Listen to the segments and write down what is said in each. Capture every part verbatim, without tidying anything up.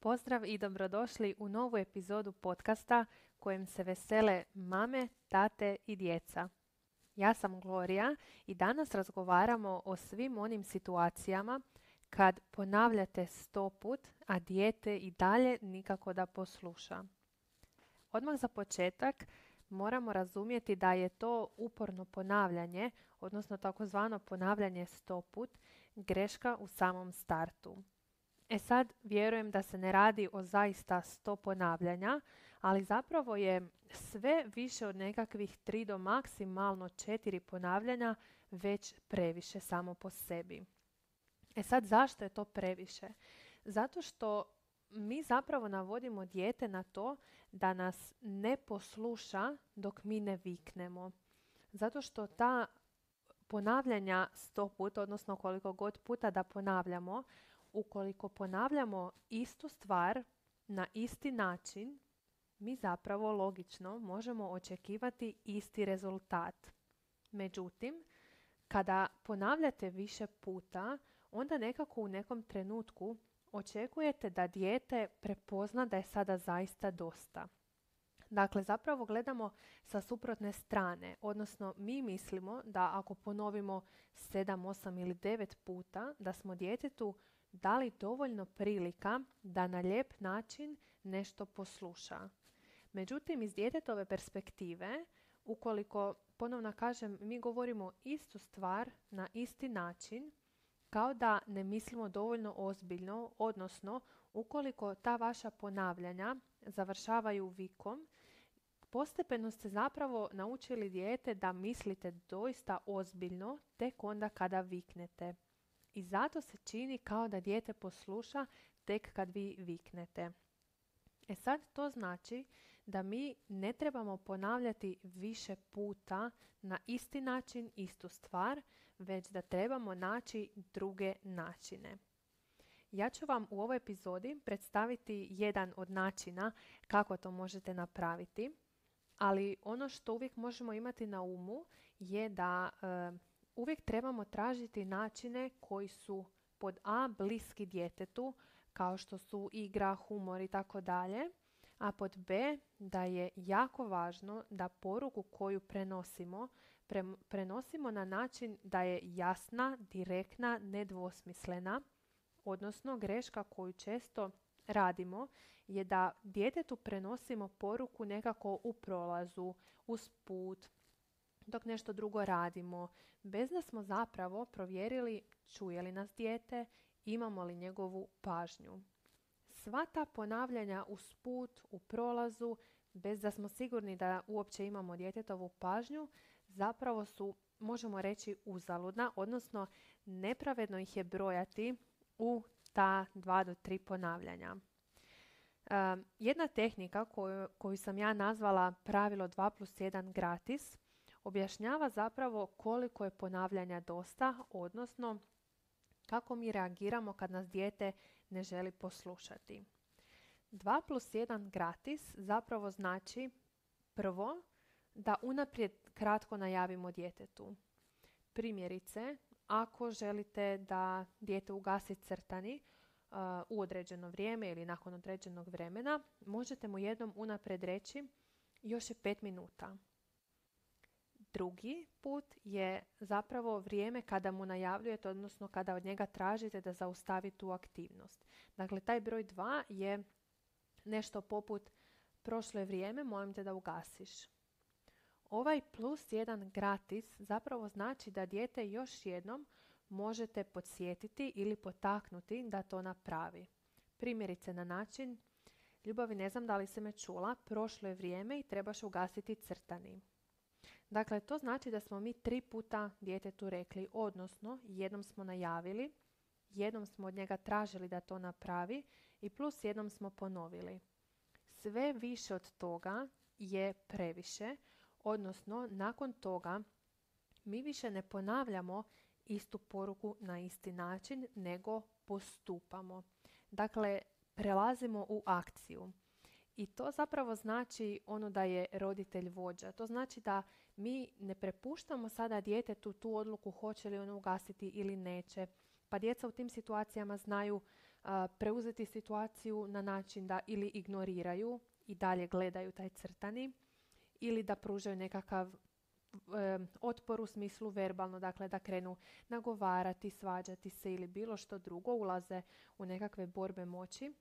Pozdrav i dobrodošli u novu epizodu podcasta kojem se vesele mame, tate i djeca. Ja sam Gloria i danas razgovaramo o svim onim situacijama kad ponavljate sto put, a dijete i dalje nikako da posluša. Odmah za početak moramo razumjeti da je to uporno ponavljanje, odnosno takozvano ponavljanje sto put, greška u samom startu. E sad, vjerujem da se ne radi o zaista sto ponavljanja, ali zapravo je sve više od nekakvih tri do maksimalno četiri ponavljanja već previše samo po sebi. E sad, zašto je to previše? Zato što mi zapravo navodimo dijete na to da nas ne posluša dok mi ne viknemo. Zato što ta ponavljanja sto puta, odnosno koliko god puta da ponavljamo, ukoliko ponavljamo istu stvar na isti način, mi zapravo logično možemo očekivati isti rezultat. Međutim, kada ponavljate više puta, onda nekako u nekom trenutku očekujete da dijete prepozna da je sada zaista dosta. Dakle, zapravo gledamo sa suprotne strane, odnosno mi mislimo da ako ponovimo sedam, osam ili devet puta, da smo djetetu dali dovoljno prilika da na lijep način nešto posluša. Međutim, iz djetetove perspektive, ukoliko, ponovno kažem, mi govorimo istu stvar na isti način, kao da ne mislimo dovoljno ozbiljno, odnosno ukoliko ta vaša ponavljanja završavaju vikom, postepeno ste zapravo naučili dijete da mislite doista ozbiljno tek onda kada viknete. I zato se čini kao da dijete posluša tek kad vi viknete. E sad to znači da mi ne trebamo ponavljati više puta na isti način, istu stvar, već da trebamo naći druge načine. Ja ću vam u ovoj epizodi predstaviti jedan od načina kako to možete napraviti, ali ono što uvijek možemo imati na umu je da e, uvijek trebamo tražiti načine koji su pod A bliski djetetu, kao što su igra, humor i tako dalje, a pod B da je jako važno da poruku koju prenosimo, pre, prenosimo na način da je jasna, direktna, nedvosmislena, odnosno greška koju često radimo je da djetetu prenosimo poruku nekako u prolazu, usput, dok nešto drugo radimo, bez da smo zapravo provjerili čuje li nas dijete, imamo li njegovu pažnju. Sva ta ponavljanja usput, u prolazu, bez da smo sigurni da uopće imamo djetetovu pažnju, zapravo su, možemo reći, uzaludna, odnosno nepravedno ih je brojati u ta dva do tri ponavljanja. Um, jedna tehnika koju, koju sam ja nazvala pravilo dva plus jedan gratis objašnjava zapravo koliko je ponavljanja dosta, odnosno kako mi reagiramo kad nas dijete ne želi poslušati. dva plus jedan gratis zapravo znači prvo da unaprijed kratko najavimo djetetu. Primjerice, ako želite da dijete ugasi crtani uh, u određeno vrijeme ili nakon određenog vremena, možete mu jednom unaprijed reći još je pet minuta. Drugi put je zapravo vrijeme kada mu najavljujete, odnosno kada od njega tražite da zaustavi tu aktivnost. Dakle, taj broj dva je nešto poput prošlo je vrijeme, molim te da ugasiš. Ovaj plus jedan gratis zapravo znači da dijete još jednom možete podsjetiti ili potaknuti da to napravi. Primjerice na način, ljubavi, ne znam da li si me čula, prošlo je vrijeme i trebaš ugasiti crtani. Dakle, to znači da smo mi tri puta djetetu rekli, odnosno jednom smo najavili, jednom smo od njega tražili da to napravi i plus jednom smo ponovili. Sve više od toga je previše, odnosno nakon toga mi više ne ponavljamo istu poruku na isti način, nego postupamo. Dakle, prelazimo u akciju. I to zapravo znači ono da je roditelj vođa. To znači da mi ne prepuštamo sada djetetu tu odluku hoće li ono ugasiti ili neće. Pa djeca u tim situacijama znaju a, preuzeti situaciju na način da ili ignoriraju i dalje gledaju taj crtani ili da pružaju nekakav e, otpor u smislu verbalno, dakle da krenu nagovarati, svađati se ili bilo što drugo, ulaze u nekakve borbe moći.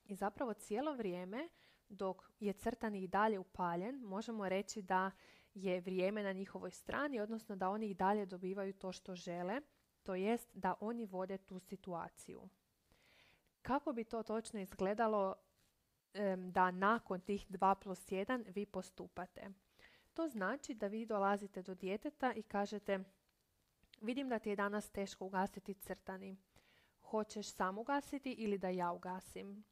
I zapravo cijelo vrijeme dok je crtani i dalje upaljen, možemo reći da je vrijeme na njihovoj strani, odnosno da oni i dalje dobivaju to što žele, to jest da oni vode tu situaciju. Kako bi to točno izgledalo da nakon tih dva plus jedan vi postupate? To znači da vi dolazite do djeteta i kažete: vidim da ti je danas teško ugasiti crtani. Hoćeš sam ugasiti ili da ja ugasim?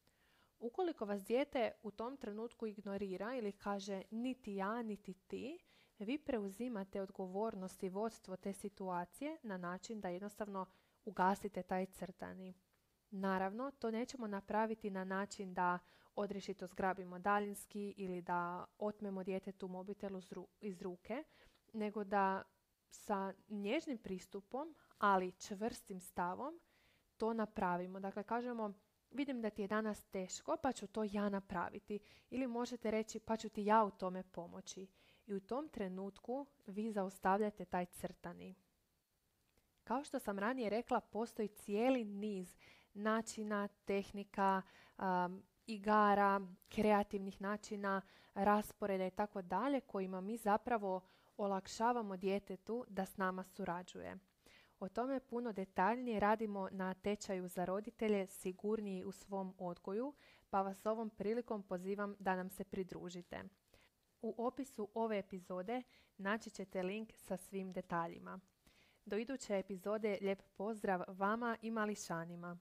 Ukoliko vas dijete u tom trenutku ignorira ili kaže niti ja, niti ti, vi preuzimate odgovornost i vodstvo te situacije na način da jednostavno ugasite taj crtani. Naravno, to nećemo napraviti na način da odrješito zgrabimo daljinski ili da otmemo djetetu mobitel iz ruke, nego da sa nježnim pristupom, ali čvrstim stavom, to napravimo. Dakle, kažemo: vidim da ti je danas teško, pa ću to ja napraviti. Ili možete reći: pa ću ti ja u tome pomoći. I u tom trenutku vi zaustavljate taj crtani. Kao što sam ranije rekla, postoji cijeli niz načina, tehnika, um, igara, kreativnih načina, rasporeda i tako dalje, kojima mi zapravo olakšavamo djetetu da s nama surađuje. O tome puno detaljnije radimo na tečaju za roditelje Sigurniji u svom odgoju, pa vas ovom prilikom pozivam da nam se pridružite. U opisu ove epizode naći ćete link sa svim detaljima. Do iduće epizode lijep pozdrav vama i mališanima.